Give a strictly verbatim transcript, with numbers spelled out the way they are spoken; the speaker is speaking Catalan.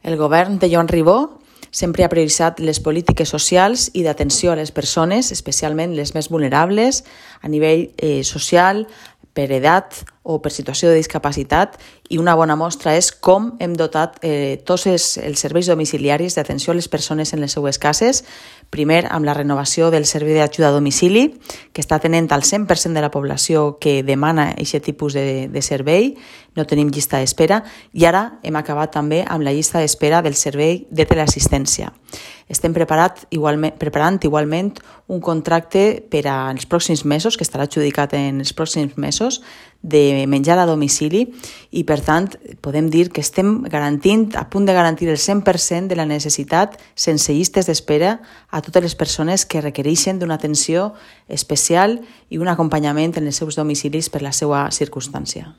El govern de Joan Ribó sempre ha prioritzat les polítiques socials i d'atenció a les persones, especialment les més vulnerables, a nivell eh, social, per edat o per situació de discapacitat, i una bona mostra és com hem dotat eh, tots els, els serveis domiciliaris d'atenció a les persones en les seues cases, primer amb la renovació del servei d'ajuda a domicili, que està atenent al cent per cent de la població que demana aquest tipus de, de servei, no tenim llista d'espera, i ara hem acabat també amb la llista d'espera del servei de teleassistència. Estem preparat igualment, preparant igualment un contracte per als pròxims mesos, que estarà adjudicat en els pròxims mesos, de menjar a domicili, i per tant podem dir que estem garantint, a punt de garantir el cent per cent de la necessitat sense llistes d'espera a totes les persones que requereixen d'una atenció especial i un acompanyament en els seus domicilis per la seva circumstància.